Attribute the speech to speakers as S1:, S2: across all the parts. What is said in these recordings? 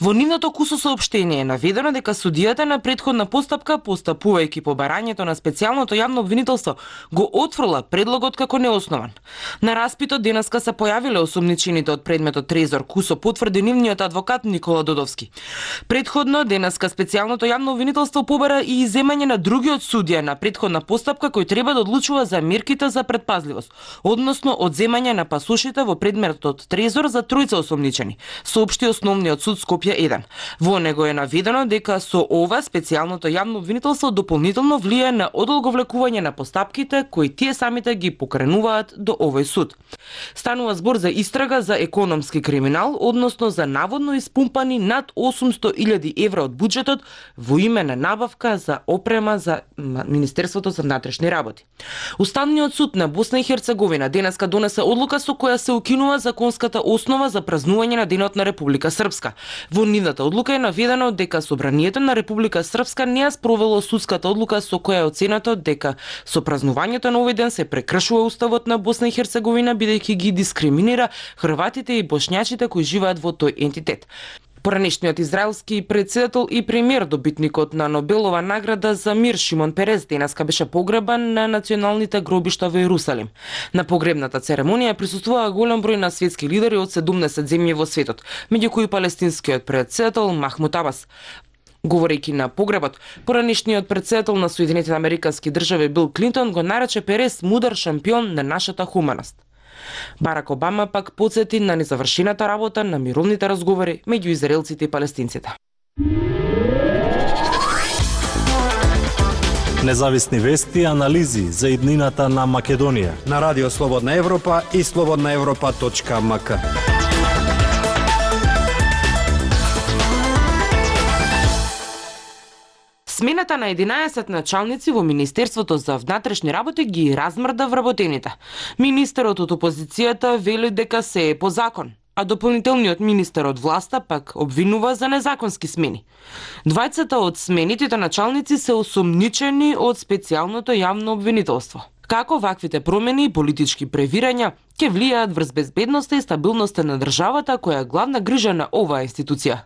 S1: Во нивното кусо соопштение е наведено дека судијата на претходна постапка, постапувајќи по барањето на специјалното јавно обвинителство, го отфрла предлогот како неоснован. На распитот денеска се појавиле осумничените од предметот Трезор Кусо, потврди нивниот адвокат Никола Додовски. Предходно денеска специјалното јавно обвинителство побара и иземање на другиот судија на претходна постапка кој треба да одлучува за мерките за предпазливост, односно одземање на пасошите во предметот Трезор за тројца осумничени, соопшти Основниот суд Скопје 1. Во него е наведено дека со ова специјалното јавно обвинителство дополнително влијае на одолговлекување на постапките кои тие самите ги покренуваат до овој суд. Станува збор за истрага за економски криминал, односно за наводно испумпани над 800.000 евра од буџетот во име на набавка за опрема за Министерството за внатрешни работи. Уставниот суд на Босна и Херцеговина денеска донесе одлука со која се укинува законската основа за празнување на Денот на Република Српска. Во нивната одлука е наведено дека Собранието на Република Српска не ја спровело судската одлука со која е оценето дека со празнувањето на овој ден се прекршува уставот на Босна и Херцеговина бидејќи ги дискриминира хрватите и бошњачите кои живеат во тој ентитет. Поранешниот израелски претседател и премиер, добитникот на Нобелова награда за мир Шимон Перес, денеска беше погребан на националните гробишта во Ерусалим. На погребната церемонија присуствуваа голем број на светски лидери од 70 земји во светот, меѓу кои палестинскиот претседател Махмуд Абас. Говорејќи на погребот, поранешниот претседател на Соединетите американски држави Бил Клинтон го нарече Перес мудар шампион на нашата хуманост. Барак Обама пак потсети на незавршената работа на мировните разговори меѓу израелците и палестинците.
S2: Независни вести и анализи за иднината на Македонија
S3: на Радио Слободна Европа и slobodnaevropa.mk.
S1: Смената на 11 началници во Министерството за внатрешни работи ги размрда вработените. Министерот од опозицијата вели дека се е по закон, а дополнителниот министер од власта пак обвинува за незаконски смени. Двајцата од сменитите началници се осумничени од специјалното јавно обвинителство. Како ваквите промени и политички превирања ќе влијаат врз безбедноста и стабилноста на државата која е главна грижа на оваа институција?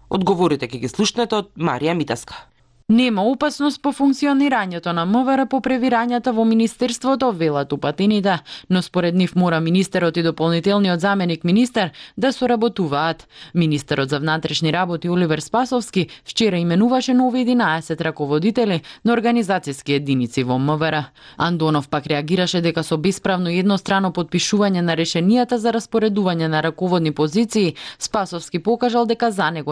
S1: Одговорите ќе ги слушнете од Марија Митаска.
S4: Нема опасност по функционирањето на МВР по превирањата во Министерството, велат упатените, но според нив мора министерот и дополнителниот заменик министер да соработуваат. Министерот за внатрешни работи Оливер Спасовски вчера именуваше нови 11 раководители на организацијски единици во МВР. Андонов пак реагираше дека со бесправно и еднострано подпишување на решенијата за распоредување на раководни позиции, Спасовски покажал дека за него